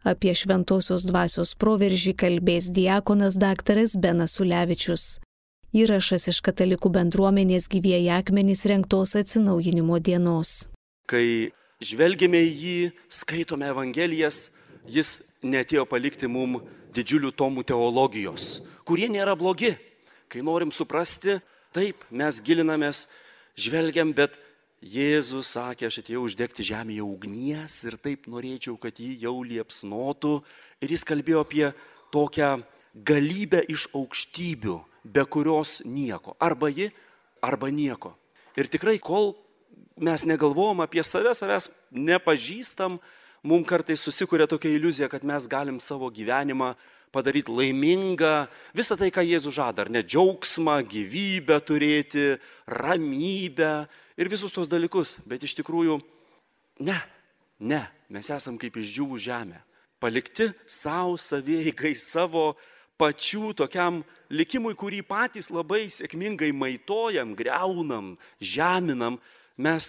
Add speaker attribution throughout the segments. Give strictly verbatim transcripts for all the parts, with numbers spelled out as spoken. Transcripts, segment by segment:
Speaker 1: Apie šventosios dvasios proveržį kalbės diakonas daktaras Benas Ulevičius. Įrašas iš Katalikų bendruomenės Gyvieji akmenys rengtos atsinaujinimo dienos.
Speaker 2: Kai žvelgėme į jį, skaitome Evangelijas, jis neatėjo palikti mum didžiulių tomų teologijos, kurie nėra blogi. Kai norim suprasti, taip, mes gilinamės, žvelgiam, bet Jėzus sakė, aš atėjau uždegti žemėje ugnies ir taip norėčiau, kad jį jau liepsnotų. Ir jis kalbėjo apie tokią galybę iš aukštybių, be kurios nieko. Arba ji, arba nieko. Ir tikrai, kol mes negalvojam apie save, savęs nepažįstam, mums kartais susikuria tokia iliuzija, kad mes galim savo gyvenimą padaryti laimingą, visą tai, ką Jėzus žada, ar ne, džiaugsmą, gyvybę turėti, ramybę ir visus tos dalykus. Bet iš tikrųjų, ne, ne, mes esam kaip išdžiūvų žemė, palikti savo savieigai, savo pačių tokiam likimui, kurį patys labai sėkmingai maitojam, greunam, žeminam. Mes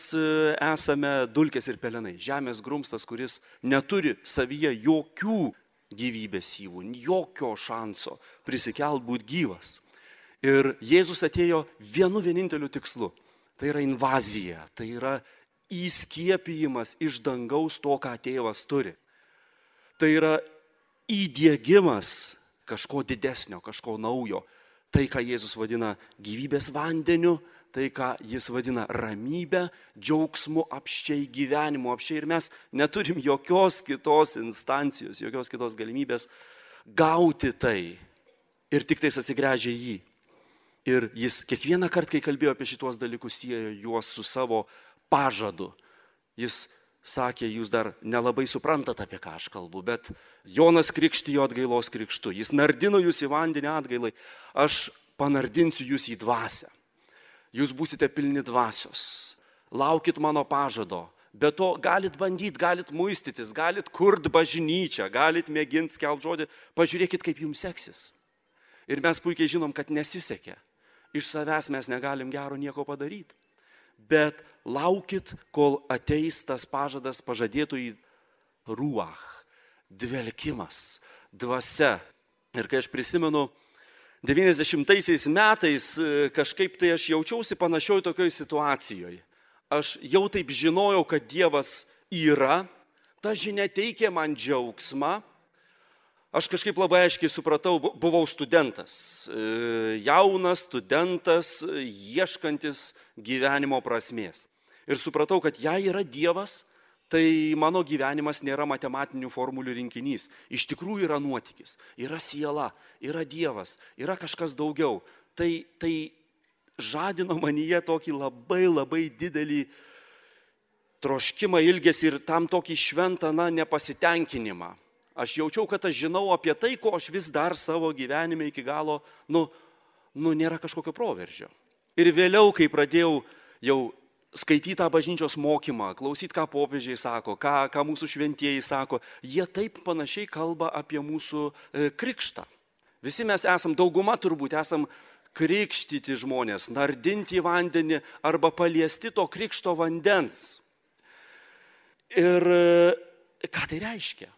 Speaker 2: esame dulkės ir pelenai, žemės grumstas, kuris neturi savyje jokių gyvybės syvų, jokio šanso prisikelt būt gyvas. Ir Jėzus atėjo vienu vieninteliu tikslu. Tai yra invazija, tai yra įskiepijimas iš dangaus to, ką tėvas turi. Tai yra įdiegimas kažko didesnio, kažko naujo. Tai, ką Jėzus vadina gyvybės vandeniu, tai, ką jis vadina ramybę, džiaugsmu, apsčiai gyvenimu, apsčiai. Ir mes neturim jokios kitos instancijos, jokios kitos galimybės gauti tai ir tik tais atsigręžia į jį. Ir jis kiekvieną kartą, kai kalbėjo apie šitos dalykus, siejo juos su savo pažadu. Jis sakė, jūs dar nelabai suprantate, apie ką aš kalbu, bet Jonas krikštijo atgailos krikštu. Jis nardino jūs į vandenį atgailai, aš panardinsiu jūs į dvasią. Jūs būsite pilni dvasios, laukit mano pažado, be to galit bandyti, galit muistytis, galit kurt bažnyčią, galit mėginti skelbti žodį, pažiūrėkit, kaip jums seksis. Ir mes puikiai žinom, kad nesisekė. Iš savęs mes negalim gero nieko padaryti. Bet laukit, kol ateis tas pažadas pažadėtų į ruach, dvelkimas, dvasia. Ir kai aš prisimenu, devyniasdešimtaisiais metais kažkaip tai aš jaučiausi panašioj tokioj situacijoje. Aš jau taip žinojau, kad Dievas yra, ta žinia teikė man džiaugsmą. Aš kažkaip labai aiškiai supratau, buvau studentas, jaunas studentas, ieškantis gyvenimo prasmės. Ir supratau, kad jei yra Dievas, tai mano gyvenimas nėra matematinių formulių rinkinys. Iš tikrųjų yra nuotykis, yra siela, yra Dievas, yra kažkas daugiau. Tai, tai žadino manyje tokį labai labai didelį troškimą, ilgesį ir tam tokį šventą, na, nepasitenkinimą. Aš jaučiau, kad aš žinau apie tai, ko aš vis dar savo gyvenime iki galo, nu, nu nėra kažkokio proveržio. Ir vėliau, kai pradėjau jau skaityti tą bažnyčios mokymą, klausyti, ką popiežiai sako, ką, ką mūsų šventieji sako, jie taip panašiai kalba apie mūsų e, krikštą. Visi mes esam, dauguma turbūt esam krikštyti žmonės, nardinti į vandenį arba paliesti to krikšto vandens. Ir e, ką tai reiškia?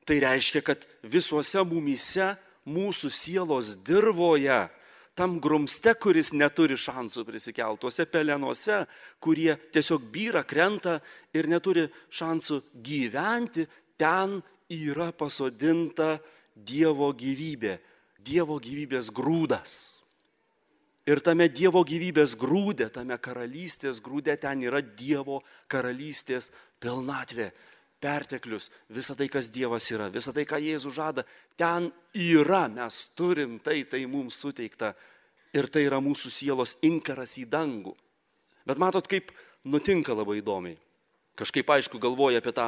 Speaker 2: Tai reiškia, kad visuose mumyse, mūsų sielos dirvoje, tam grumste, kuris neturi šansų prisikelti, tuose pelenuose, kurie tiesiog byra, krenta ir neturi šansų gyventi, ten yra pasodinta Dievo gyvybė, Dievo gyvybės grūdas. Ir tame Dievo gyvybės grūde, tame karalystės grūde, ten yra Dievo karalystės pilnatvė. Perteklius, visa tai, kas Dievas yra, visa tai, ką Jėzus žada, ten yra, mes turim tai, tai mums suteikta ir tai yra mūsų sielos inkaras į dangų. Bet matot, kaip nutinka labai įdomiai. Kažkaip aišku galvoja apie tą,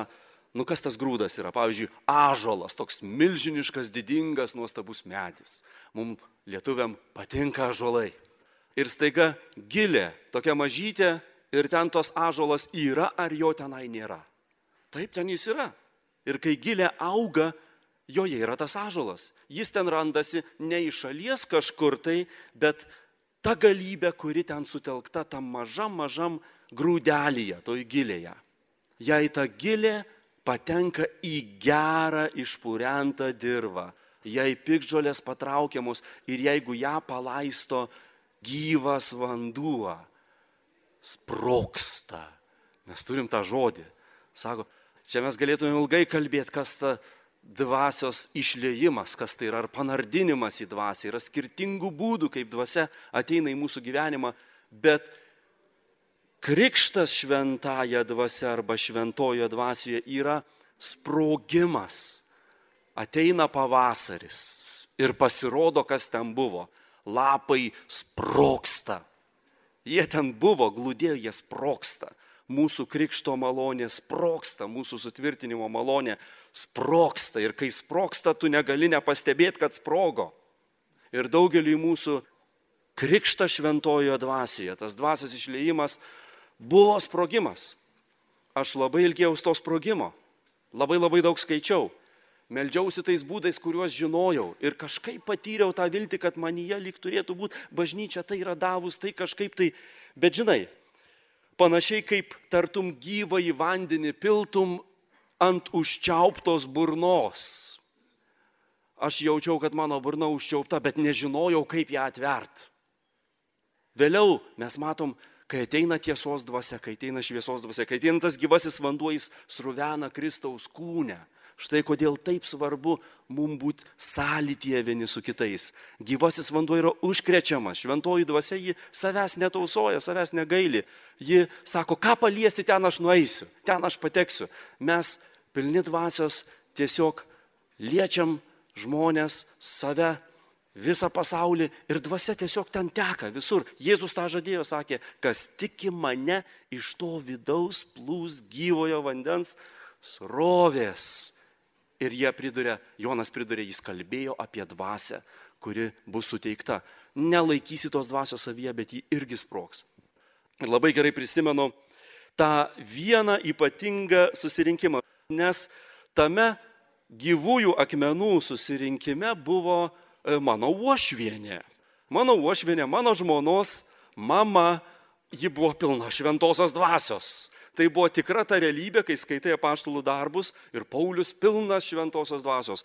Speaker 2: nu kas tas grūdas yra, pavyzdžiui, ąžuolas, toks milžiniškas, didingas, nuostabus medis. Mums lietuviam patinka ąžuolai. Ir staiga gilė, tokia mažytė ir ten tos ąžuolas yra ar jo tenai nėra. Taip, ten jis yra. Ir kai gilė auga, joje yra tas ąžuolas. Jis ten randasi ne iš šalies kažkur tai, bet ta galybė, kuri ten sutelkta tam mažam, mažam grūdelyje, toj gilėje. Jei ta gilė patenka į gerą išpurentą dirvą. Jei piktžolės patraukiamos ir jeigu ją palaisto gyvas vanduo, sprogsta. Mes turim tą žodį. Sako, čia mes galėtume ilgai kalbėti, kas ta dvasios išliejimas, kas tai yra, ar panardinimas į dvasią. Yra skirtingų būdų, kaip dvasia ateina į mūsų gyvenimą, bet krikštas šventąja dvasia arba šventojo dvasioje yra sprogimas. Ateina pavasaris ir pasirodo, kas ten buvo. Lapai sprogsta. Jie ten buvo, glūdėjo, jie sprogsta. Mūsų krikšto malonė sprogsta, mūsų sutvirtinimo malonė sprogsta. Ir kai sprogsta, tu negali nepastebėti, kad sprogo. Ir daugeliui mūsų krikšto šventojoje dvasioje, tas dvasios išliejimas buvo sprogimas. Aš labai ilgėjausi to sprogimo. Labai labai daug skaičiau. Meldžiausi tais būdais, kuriuos žinojau. Ir kažkaip patyriau tą viltį, kad manyje lyg turėtų būti bažnyčia, tai yra davus, tai kažkaip tai. Bet žinai, panašiai kaip tartum gyvą į vandenį piltum ant užčiauptos burnos. Aš jaučiau, kad mano burna užčiaupta, bet nežinojau, kaip ją atvert. Vėliau mes matom, kai ateina tiesos dvasia, kai ateina šviesos dvasia, kai ateina tas gyvasis vanduo, jis sruvena Kristaus kūne. Štai kodėl taip svarbu mums būti sąlytyje vieni su kitais. Gyvasis vanduo yra užkrečiamas. Šventoji dvasia ji savęs netausoja, savęs negaili. Ji sako, ką paliesi, ten aš nueisiu, ten aš pateksiu. Mes pilni dvasios tiesiog liečiam žmonės, save, visą pasaulį ir dvasia tiesiog ten teka visur. Jėzus tą žadėjo, sakė, kas tiki mane, iš to vidaus plūs gyvojo vandens srovės. Ir jie priduria, Jonas priduria, jis kalbėjo apie dvasią, kuri bus suteikta. Nelaikysi tos dvasios savyje, bet ji irgi sprogs. Ir labai gerai prisimenu tą vieną ypatingą susirinkimą, nes tame gyvųjų akmenų susirinkime buvo mano uošvienė. Mano uošvienė, mano žmonos mama, ji buvo pilna šventosios dvasios. Tai buvo tikra ta realybė, kai skaitai apaštalų darbus ir Paulius pilnas šventosios dvasios.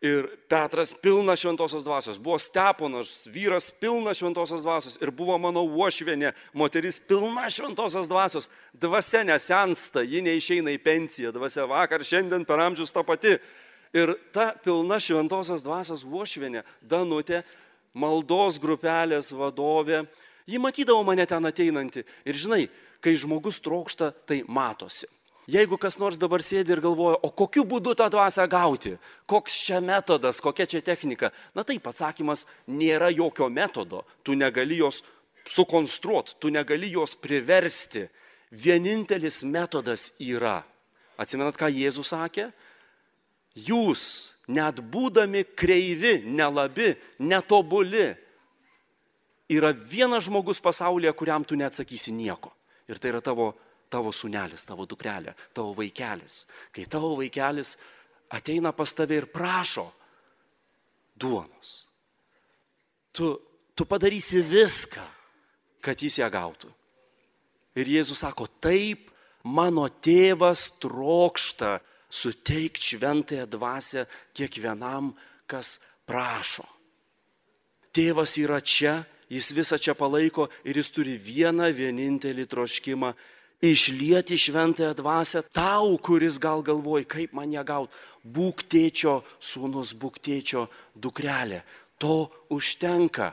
Speaker 2: Ir Petras pilnas šventosios dvasios. Buvo Steponas, vyras pilnas šventosios dvasios. Ir buvo mano uošvienė, moteris pilna šventosios dvasios. Dvasia nesensta, ji neišeina į pensiją. Dvasia vakar, šiandien per amžius ta pati. Ir ta pilna šventosios dvasios uošvienė, Danutė, maldos grupelės vadovė, ji matydavo mane ten ateinantį. Ir žinai, kai žmogus trokšta, tai matosi. Jeigu kas nors dabar sėdi ir galvoja, o kokiu būdu tą dvasią gauti, koks čia metodas, kokia čia technika, na taip, atsakymas, nėra jokio metodo, tu negali jos sukonstruoti, tu negali jos priversti. Vienintelis metodas yra, atsimenat, ką Jėzus sakė? Jūs, net būdami kreivi, nelabi, netobuli, yra vienas žmogus pasaulyje, kuriam tu neatsakysi nieko. Ir tai yra tavo, tavo sūnelis, tavo dukrelė, tavo vaikelis. Kai tavo vaikelis ateina pas tave ir prašo duonos, tu, tu padarysi viską, kad jis ją gautų. Ir Jėzus sako, taip, mano tėvas trokšta suteikti šventąją dvasią kiekvienam, kas prašo. Tėvas yra čia. Jis visą čia palaiko ir jis turi vieną vienintelį troškimą išlieti šventąją dvasią tau, kuris gal galvoja, kaip man ją gauti. Būk tėčio sūnus, būk tėčio dukrelė. To užtenka.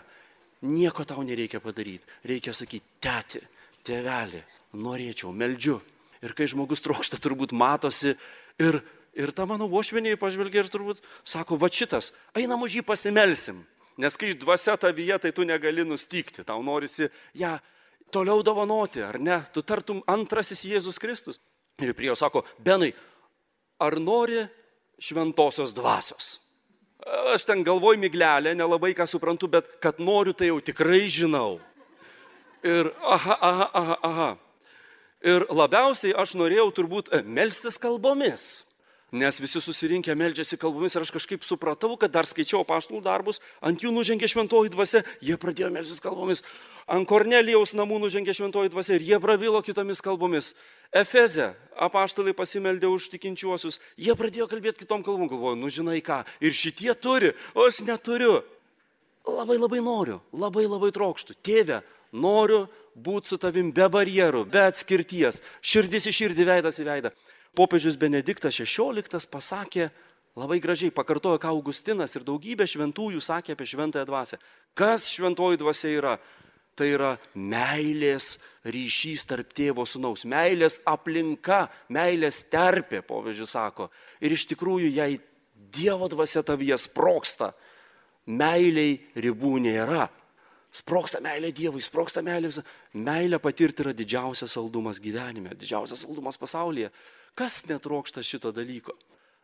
Speaker 2: Nieko tau nereikia padaryti. Reikia sakyti, tėti, tėvelį, norėčiau, meldžiu. Ir kai žmogus trokšta, turbūt matosi ir, ir ta mano uošvienė pažvelgia ir turbūt sako, va šitas, einam už jį pasimelsim. Nes kai dvasia tavyje, tai tu negali nustygti, tau norisi ją toliau dovanoti, ar ne? Tu tartum antrasis Jėzus Kristus. Ir prie jo sako, Benai, ar nori šventosios dvasios? Aš ten galvoju miglelę, nelabai ką suprantu, bet kad noriu, tai jau tikrai žinau. Ir aha, aha, aha, aha. Ir labiausiai aš norėjau turbūt melstis kalbomis. nes visi susirinkę meldžiasi kalbomis ir aš kažkaip supratau, kad dar skaičiau apaštalų darbus, ant jų nužengė šventoji dvasia, jie pradėjo melstis kalbomis, ant Kornelijaus namų nužengė šventoji dvasia ir jie prabilo kitomis kalbomis. Efeze apaštalai pasimeldė už tikinčiuosius, jie pradėjo kalbėti kitom kalbom, galvoju, nu žinai ką, ir šitie turi, o aš neturiu. Labai labai noriu, labai labai trokštu. Tėve, noriu būti su tavim be barjerų, be atskirties, širdis į širdį, veidas į veidą. Popiežius Benediktas šešioliktas pasakė, labai gražiai pakartojo, ką Augustinas ir daugybė šventųjų sakė apie šventąją dvasią. Kas šventoji dvasia yra? Tai yra meilės ryšys tarp tėvo sūnaus, meilės aplinka, meilės terpė, popiežius sako. Ir iš tikrųjų, jei Dievo dvasia tavyje sproksta, meiliai ribų nėra. Sproksta meilė Dievui, sproksta meilė visą. Meilė patirti yra didžiausias saldumas gyvenime, didžiausias saldumas pasaulyje. Kas netrokšta šito dalyko?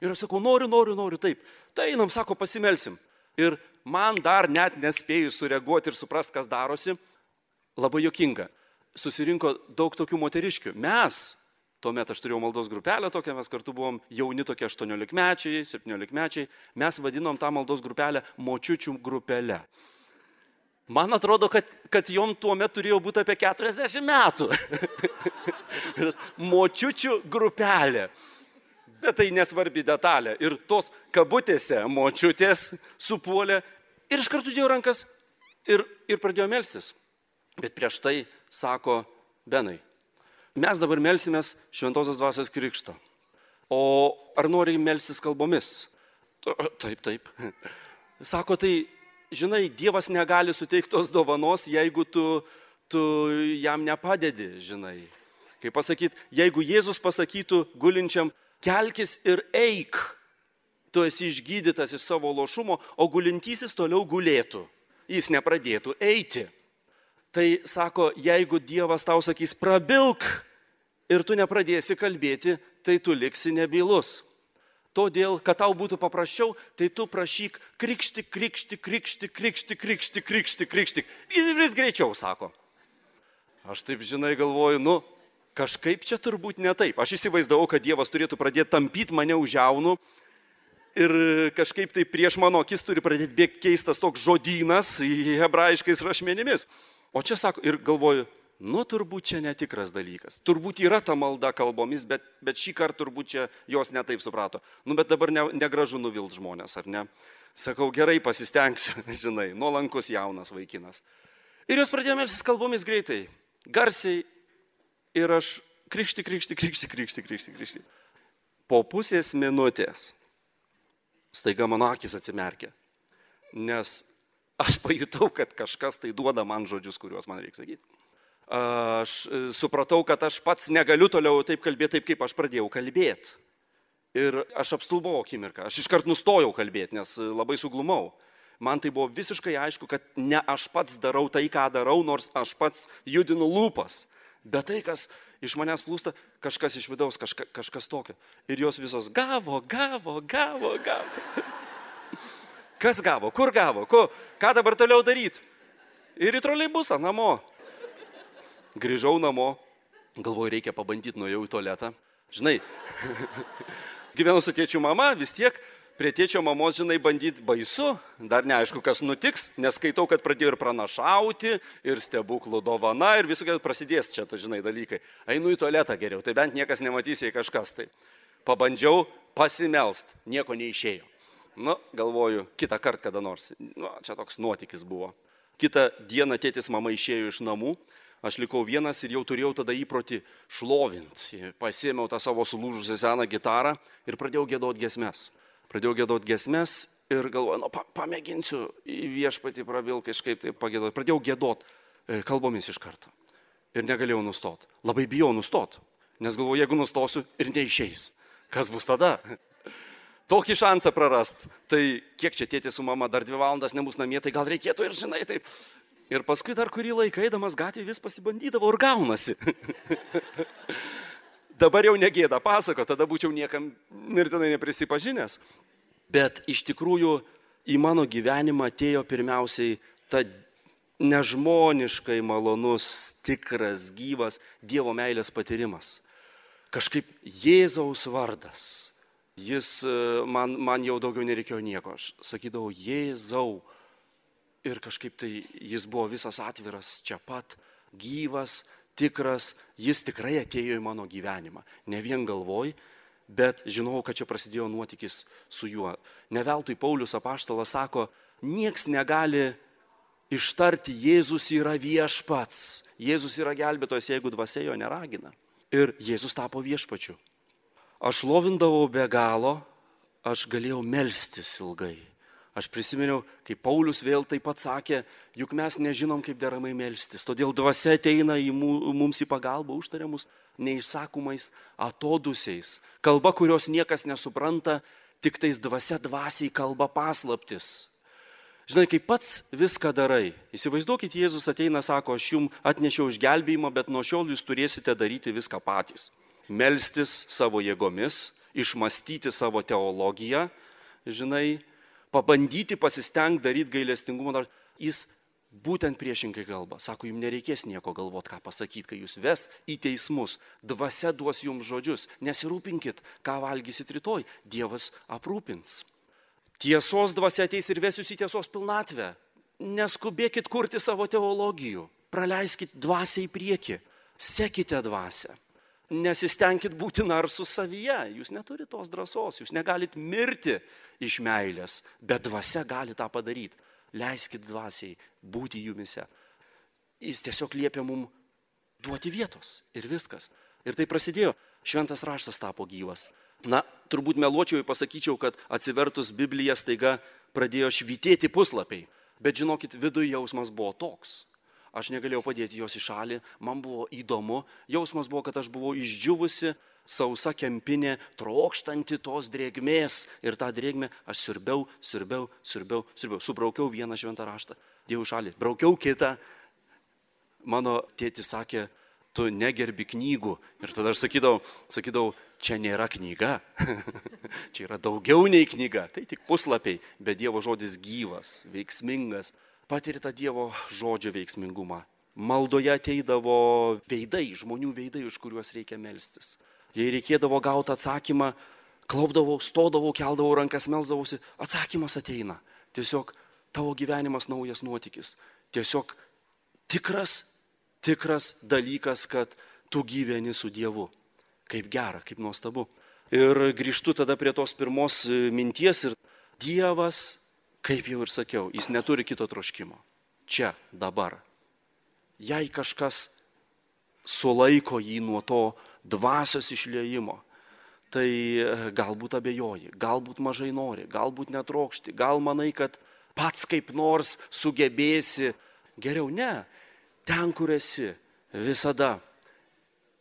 Speaker 2: Ir aš sakau, noriu, noriu, noriu, taip. Tai einam, sako, pasimelsim. Ir man dar net nespėjus sureaguoti ir suprast, kas darosi, labai juokinga. Susirinko daug tokių moteriškių. Mes, tuomet aš turėjau maldos grupelę tokią, mes kartu buvom jauni tokie aštuoniolikmečiai, septyniolikmečiai, mes vadinom tą maldos grupelę močiučių grupelę. Man atrodo, kad, kad jom tuo metu turėjo būti apie keturiasdešimt metų. Močiučių grupelė. Bet tai nesvarbi detalė. Ir tos kabutėse močiutės supuolė ir iš karto dėjo rankas ir, ir pradėjo melstis. Bet prieš tai sako, Benai, mes dabar melsimės šventosios dvasios krikšto. O ar nori melstis kalbomis? Taip, taip. Sako, tai žinai, Dievas negali suteikti tos dovanos, jeigu tu, tu jam nepadedi, žinai. Kaip pasakyti, jeigu Jėzus pasakytų gulinčiam, kelkis ir eik, tu esi išgydytas iš savo lošumo, o gulintysis toliau gulėtų, jis nepradėtų eiti. Tai sako, jeigu Dievas tau sakys, prabilk ir tu nepradėsi kalbėti, tai tu liksi nebylus. Todėl, kad tau būtų paprasčiau, tai tu prašyk krikšti, krikšti, krikšti, krikšti, krikšti, krikšti, krikšti. Ir vis greičiau, sako. Aš taip, žinai, galvoju, nu, kažkaip čia turbūt ne taip. Aš įsivaizdavau, kad Dievas turėtų pradėti tampyti mane už jaunų ir kažkaip tai prieš mano akis turi pradėti bėgti keistas toks žodynas hebrajiškais rašmenimis. O čia sako, ir galvoju, nu, turbūt čia netikras dalykas. Turbūt yra ta malda kalbomis, bet, bet šį kartą turbūt čia jos netaip suprato. Nu, bet dabar ne, negražu nuvilt žmonės, ar ne? Sakau, gerai pasistengsiu, žinai, nuolankus jaunas vaikinas. Ir jos pradėjo melstis kalbomis greitai, garsiai, ir aš krikšti, krikšti, krikšti, krikšti, krikšti, krikšti. Po pusės minutės staiga mano akis atsimerkė, nes aš pajutau, kad kažkas tai duoda man žodžius, kuriuos man reikia sakyti. Aš supratau, kad aš pats negaliu toliau taip kalbėti, taip kaip aš pradėjau kalbėti. Ir aš apstulbau akimirką, aš iškart nustojau kalbėti, nes labai suglumau. Man tai buvo visiškai aišku, kad ne aš pats darau tai, ką darau, nors aš pats judinu lūpas. Bet tai, kas iš manęs plūsta, kažkas iš vidaus, kažka, kažkas tokio. Ir jos visos gavo, gavo, gavo, gavo. Kas gavo, kur gavo, ko, ką dabar toliau daryti? Ir į troleibusą namo. Grįžau namo, galvoju, reikia pabandyti, nuėjau į tualetą. Žinai, gyvenu su tėčiu mama, vis tiek prie tėčio mamos, žinai, bandyti baisu, dar neaišku, kas nutiks, nes skaitau, kad pradėjo ir pranašauti, ir stebuklų dovana, ir visokie prasidės čia, tu žinai, dalykai. Einu į tualetą geriau, tai bent niekas nematys, jei kažkas tai. Pabandžiau pasimelst, nieko neišėjo. Nu, galvoju, kitą kartą kada nors, nu, čia toks nuotykis buvo. Kitą dieną tėtis mama išėjo iš namų, aš likau vienas ir jau turėjau tada įprotį šlovinti. Pasėmiau tą savo sulūžusią seną gitarą ir pradėjau giedoti giesmes. Pradėjau giedoti giesmes ir galvoju, nu, pa, pamėginsiu į viešpatį prabil kažkaip tai pagėdoti. Pradėjau giedoti kalbomis iš karto ir negalėjau nustoti. Labai bijau nustoti, nes galvoju, jeigu nustosiu ir neišeis, kas bus tada? Tokį šansą prarast, tai kiek čia tėtis su mama dar dvi valandas nebus namie, tai gal reikėtų ir žinai taip. Ir paskui dar kurį laiką eidamas gatvė vis pasibandydavo ir gaunasi. Dabar jau negėda pasako, tada būčiau niekam mirtinai neprisipažinęs. Bet iš tikrųjų į mano gyvenimą atėjo pirmiausiai ta nežmoniškai malonus, tikras, gyvas Dievo meilės patyrimas. Kažkaip Jėzaus vardas Jis man, man jau daugiau nereikėjo nieko. Aš sakydavau, Jėzau. Ir kažkaip tai jis buvo visas atviras čia pat, gyvas, tikras. Jis tikrai atėjo į mano gyvenimą. Ne vien galvoj, bet žinau, kad čia prasidėjo nuotykis su juo. Ne veltui Paulius apaštalas sako, nieks negali ištarti, Jėzus yra viešpats. Jėzus yra gelbėtojas, jeigu dvasia jo neragina. Ir Jėzus tapo viešpačiu. Aš lovindavau be galo, aš galėjau melstis ilgai. Aš prisiminiau, kai Paulius vėl taip pat sakė, juk mes nežinom, kaip deramai melstis. Todėl dvasia ateina į mums į pagalbą, užtaria mus neišsakomais atodusiais. Kalba, kurios niekas nesupranta, tik tais dvasia dvasiai kalba paslaptis. Žinai, kai pats viską darai, įsivaizduokit, Jėzus ateina, sako, aš jums atnešiau išgelbėjimą, bet nuo šiol jūs turėsite daryti viską patys. Melstis savo jėgomis, išmastyti savo teologiją, žinai, pabandyti pasistengti daryti gailestingumą. Jis būtent priešingai kalba. Sako, jums nereikės nieko galvoti, ką pasakyti, kai jūs ves į teismus. Dvasia duos jums žodžius. Nesirūpinkit, ką valgysit rytoj. Dievas aprūpins. Tiesos dvasia ateis ir ves jūs į tiesos pilnatvę. Neskubėkit kurti savo teologijų. Praleiskit dvasią į priekį. Sekite dvasią. Nesistengkit būti narsus savyje, jūs neturite tos drąsos, jūs negalit mirti iš meilės, bet dvasia gali tą padaryti. Leiskit dvasiai būti jumise. Jis tiesiog liepia mums duoti vietos ir viskas. Ir tai prasidėjo, šventas raštas tapo gyvas. Na, turbūt meluočiau ir pasakyčiau, kad atsivertus Bibliją staiga pradėjo švytėti puslapiai, bet žinokit, viduje jausmas buvo toks. Aš negalėjau padėti jos į šalį, man buvo įdomu, jausmas buvo, kad aš buvau išdžiuvusi, sausa kempinė, trokštanti tos drėgmės. Ir tą drėgmę aš siurbiau, siurbiau, siurbiau, siurbiau. Subraukiau vieną šventą raštą, dėjau į šalį, braukiau kitą. Mano tėtis sakė, tu negerbi knygų. Ir tada aš sakydavau, sakydavau čia nėra knyga, čia yra daugiau nei knyga. Tai tik puslapiai, bet Dievo žodis gyvas, veiksmingas. Patiri tą Dievo žodžio veiksmingumą. Maldoje ateidavo veidai, žmonių veidai, už kuriuos reikia melstis. Jei reikėdavo gauti atsakymą, klaupdavau, stodavau, keldavau rankas, melsdavausi, atsakymas ateina. Tiesiog tavo gyvenimas naujas nuotykis. Tiesiog tikras, tikras dalykas, kad tu gyveni su Dievu. Kaip gera, kaip nuostabu. Ir grįžtu tada prie tos pirmos minties ir Dievas, kaip jau ir sakiau, jis neturi kito troškimo. Čia, dabar. Jei kažkas sulaiko jį nuo to dvasios išliejimo, tai galbūt abejoji, galbūt mažai nori, galbūt netrokšti, gal manai, kad pats kaip nors sugebėsi. Geriau ne, ten, kur esi, visada.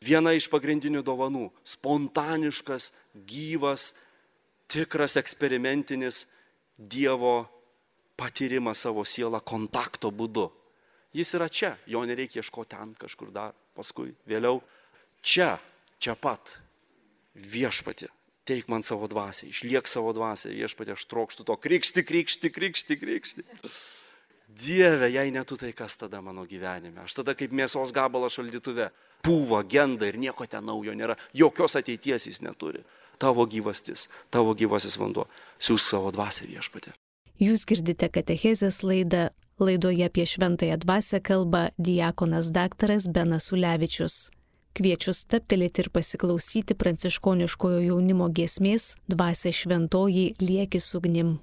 Speaker 2: Viena iš pagrindinių dovanų - spontaniškas, gyvas, tikras eksperimentinis Dievo patyrimas savo sielą kontakto būdu. Jis yra čia, jo nereikia ieškoti ten kažkur dar, paskui, vėliau. Čia, čia pat, viešpatie, teik man savo dvasią, išliek savo dvasią, viešpatie, aš trokštu to krikšti, krikšti, krikšti, krikšti. Dieve, jei ne tu, tai kas tada mano gyvenime? Aš tada kaip mėsos gabalas šaldytuve, pūva, genda ir nieko ten naujo nėra, jokios ateities jis neturi. Tavo gyvastis, tavo gyvasis vanduo, siūsk savo dvasią, viešpatie.
Speaker 1: Jūs girdite katechezės laidą. Laidoje apie šventąją dvasią kalba diakonas daktaras Benas Ulevičius. Kviečiu stabtelėti ir pasiklausyti pranciškoniškojo jaunimo giesmės Dvasia šventoji liekis ugnim.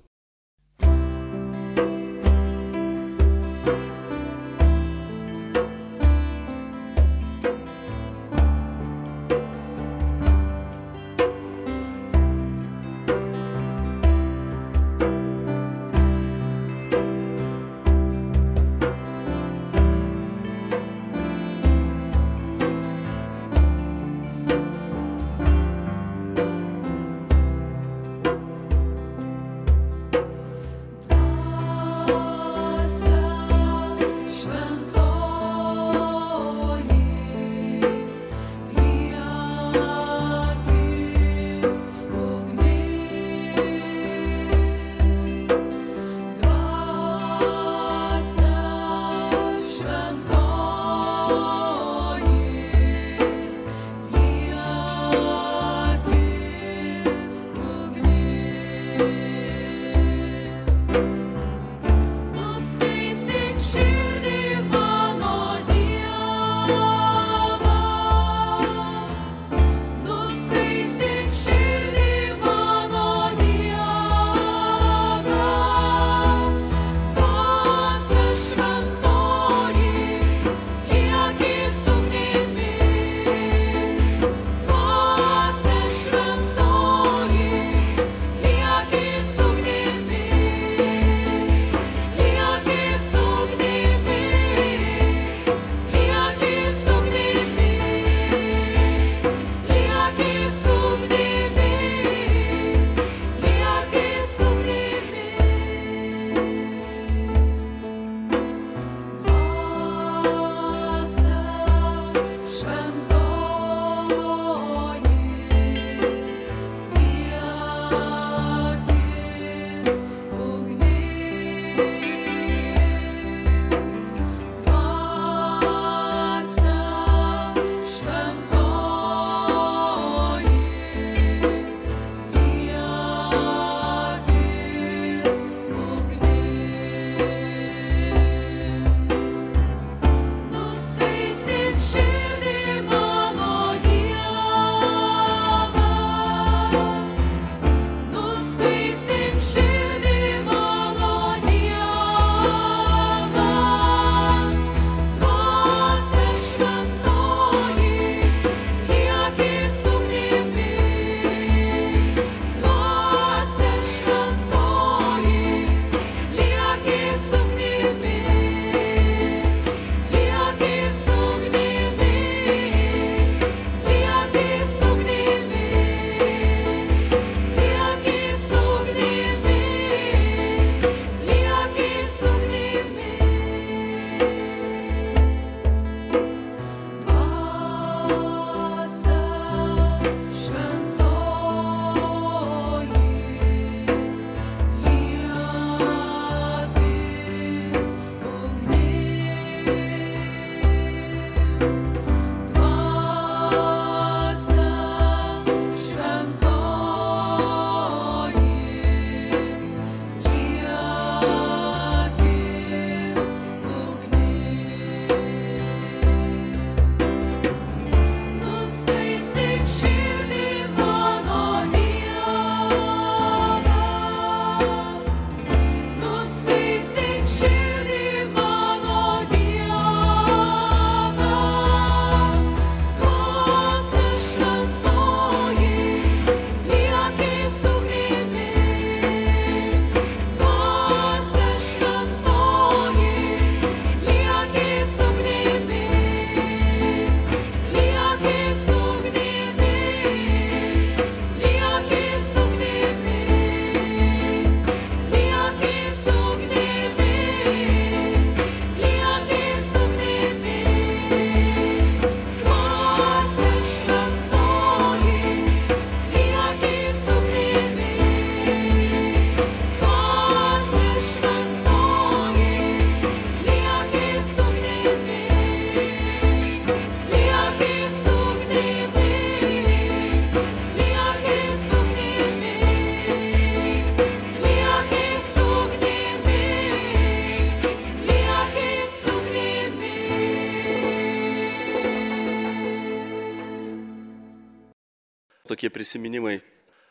Speaker 2: tokie prisiminimai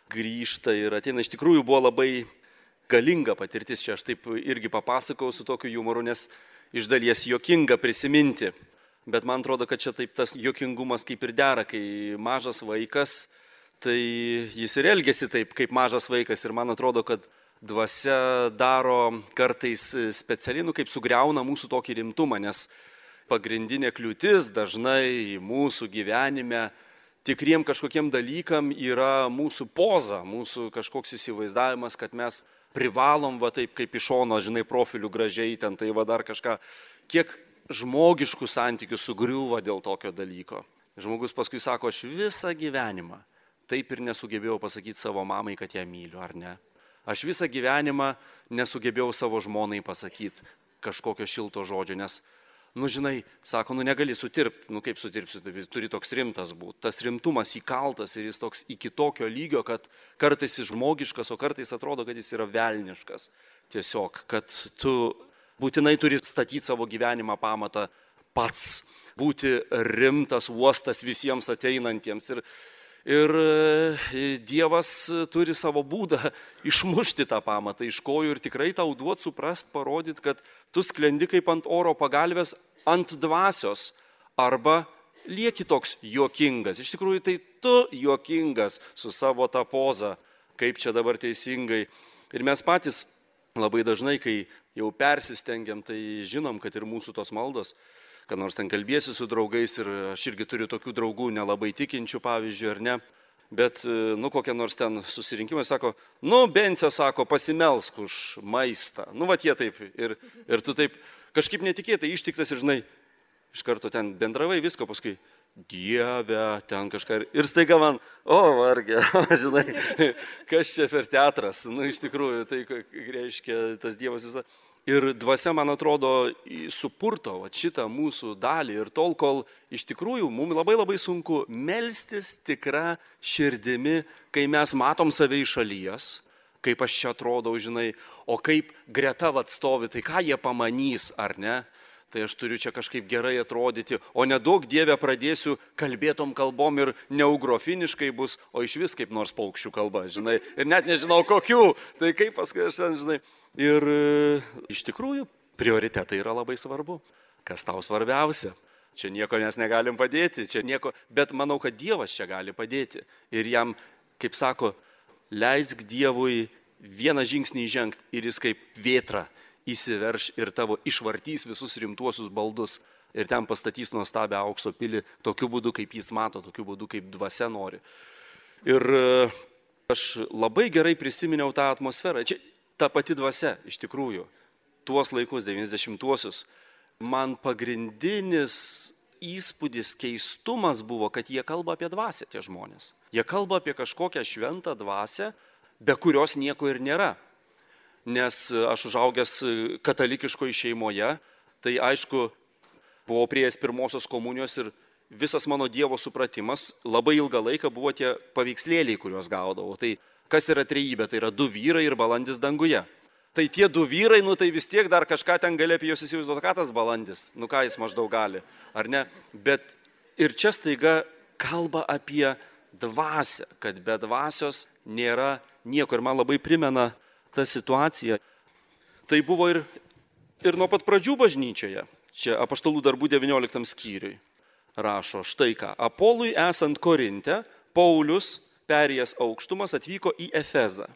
Speaker 2: grįžta ir ateina. Iš tikrųjų buvo labai galinga patirtis. Čia aš taip irgi papasakau su tokiu jumoru, nes iš dalies juokinga prisiminti. Bet man atrodo, kad čia taip tas juokingumas kaip ir dera, kai mažas vaikas, tai jis ir elgesi taip, kaip mažas vaikas. Ir man atrodo, kad dvasia daro kartais specialiai, nu, kaip sugriauna mūsų tokį rimtumą, nes pagrindinė kliūtis dažnai mūsų gyvenime tikriem kažkokiem dalykam yra mūsų poza, mūsų kažkoks įsivaizdavimas, kad mes privalom va taip kaip iš šono, žinai, profilių gražiai ten, tai va dar kažką, kiek žmogiškų santykių sugriūva dėl tokio dalyko. Žmogus paskui sako, aš visą gyvenimą taip ir nesugebėjau pasakyti savo mamai, kad ją myliu, ar ne? Aš visą gyvenimą nesugebėjau savo žmonai pasakyti kažkokio šilto žodžio, nes Nu, žinai, sako, nu negali sutirpti, nu kaip sutirpsi, tai turi toks rimtas būti. Tas rimtumas įkaltas ir jis toks iki tokio lygio, kad kartais jis žmogiškas, o kartais atrodo, kad jis yra velniškas. Tiesiog, kad tu būtinai turi statyti savo gyvenimą pamatą pats, būti rimtas uostas visiems ateinantiems. Ir, ir Dievas turi savo būdą išmušti tą pamatą iš kojų ir tikrai tau duot suprast, parodyti, kad tu sklendi kaip ant oro pagalvės ant dvasios arba lieki toks juokingas. Iš tikrųjų, tai tu juokingas su savo tą pozą, kaip čia dabar teisingai. Ir mes patys labai dažnai, kai jau persistengiam, tai žinom, kad ir mūsų tos maldos, kad nors ten kalbėsi su draugais ir aš irgi turiu tokių draugų nelabai tikinčių, pavyzdžiui, ar ne, bet, nu, kokie nors ten susirinkimai sako, nu, Bence, sako, pasimelsk už maistą. Nu, vat jie taip. Ir, ir tu taip kažkaip netikėtai ištiktas ir, žinai, iš karto ten bendravai visko, paskui, Dieve, ten kažką. Ir staiga man, o, varge, žinai, kas čia per teatras. Nu, iš tikrųjų, tai reiškia tas Dievas visą. Ir dvasia, man atrodo, supurto vat, šitą mūsų dalį. Ir tol, kol iš tikrųjų mums labai labai sunku melstis tikra širdimi, kai mes matom save iš šalies, kaip aš čia atrodau, žinai, o kaip greta vat stovi, tai ką jie pamanys, ar ne? Tai aš turiu čia kažkaip gerai atrodyti, o nedaug Dieve pradėsiu kalbėtom kalbom ir neugrofiniškai bus, o iš vis kaip nors paukščių kalba, žinai, ir net nežinau kokių, tai kaip paskui aš ten, žinai. Ir iš tikrųjų prioritetai yra labai svarbu. Kas tau svarbiausia? Čia nieko mes negalim padėti, čia nieko, bet manau, kad Dievas čia gali padėti. Ir jam, kaip sako, leisk Dievui vieną žingsnį žengti ir jis kaip vėtra įsiverš ir tavo išvartys visus rimtuosius baldus ir ten pastatys nuostabią aukso pilį tokiu būdu, kaip jis mato, tokiu būdu, kaip dvasia nori. Ir aš labai gerai prisiminiau tą atmosferą. Čia ta pati dvasia, iš tikrųjų, tuos laikus, devyniasdešimtuosius, man pagrindinis įspūdis, keistumas buvo, kad jie kalba apie dvasią, tie žmonės. Jie kalba apie kažkokią šventą dvasią, be kurios nieko ir nėra. Nes aš užaugęs katalikiškoje šeimoje, tai aišku, buvau prieėjęs pirmosios komunijos ir visas mano Dievo supratimas labai ilgą laiką buvo tie paveikslėliai, kuriuos gaudavau. Tai kas yra trejybė? Tai yra du vyrai ir balandis danguje. Tai tie du vyrai, nu tai vis tiek dar kažką ten gali apie juos įsivaizduoti, ką tas balandis, nu ką jis maždaug gali, ar ne? Bet ir čia staiga kalba apie dvasią, kad be dvasios nėra nieko. Ir man labai primena ta situacija. Tai buvo ir, ir nuo pat pradžių bažnyčioje. Čia Apaštalų darbų devynioliktam skyriui rašo štai ką. Apolui esant Korinte, Paulius, perėjęs aukštumas, atvyko į Efezą.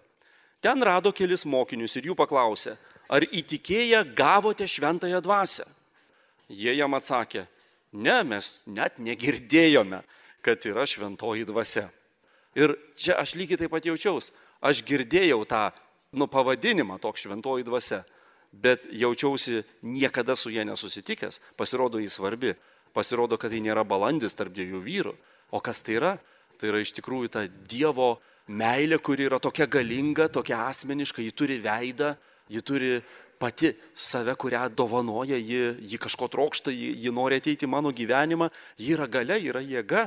Speaker 2: Ten rado kelis mokinius ir jų paklausė, ar įtikėję gavote šventąją dvasią? Jie jam atsakė, ne, mes net negirdėjome, kad yra šventoji dvasia. Ir čia aš lygiai taip pat jaučiaus. Aš girdėjau tą nu, pavadinimą toks šventoji dvasia, bet jaučiausi niekada su jie nesusitikęs. Pasirodo, jis svarbi. Pasirodo, kad tai nėra balandis tarp dviejų vyrų. O kas tai yra? Tai yra iš tikrųjų ta Dievo meilė, kuri yra tokia galinga, tokia asmeniška, ji turi veidą, ji turi pati save, kurią dovanoja, ji, ji kažko trokšta, ji, ji nori ateiti į mano gyvenimą, ji yra galia, yra jėga.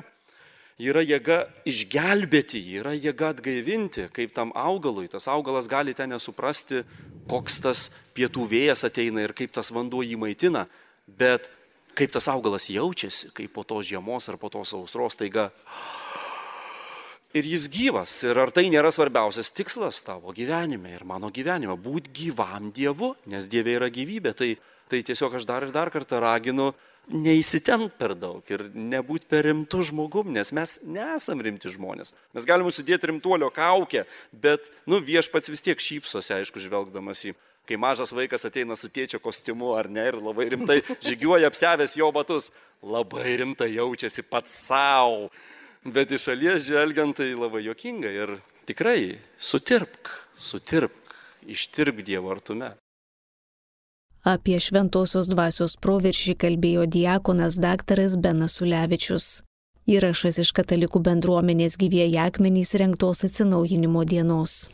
Speaker 2: Ji yra jėga išgelbėti, ji yra jėga atgaivinti, kaip tam augalui. Tas augalas gali ten nesuprasti, koks tas pietų vėjas ateina ir kaip tas vanduo jį maitina, bet kaip tas augalas jaučiasi, kaip po tos žiemos ar po tos sausros taiga. Ir jis gyvas. Ir ar tai nėra svarbiausias tikslas tavo gyvenime ir mano gyvenime? Būt gyvam Dievu, nes Dieve yra gyvybė. Tai, tai tiesiog aš dar ir dar kartą raginu neįsitempt per daug ir nebūti per rimtų žmogum, nes mes nesam rimti žmonės. Mes galime sudėti rimtuolio kaukę, bet nu, viešpats vis tiek šypsosi, aišku, žvelgdamas į, kai mažas vaikas ateina su tėčio kostiumu ar ne ir labai rimtai žygiuoja apsiavęs jo batus, labai rimtai jaučiasi pats savo, bet iš šalies žvelgiant tai labai juokinga ir tikrai sutirpk, sutirpk, ištirpk Dievo artume.
Speaker 1: Apie šventosios dvasios proveržį kalbėjo diakonas daktaras Benas Ulevičius. Įrašas iš Katalikų bendruomenės Gyvieji akmenys rengtos atsinaujinimo dienos.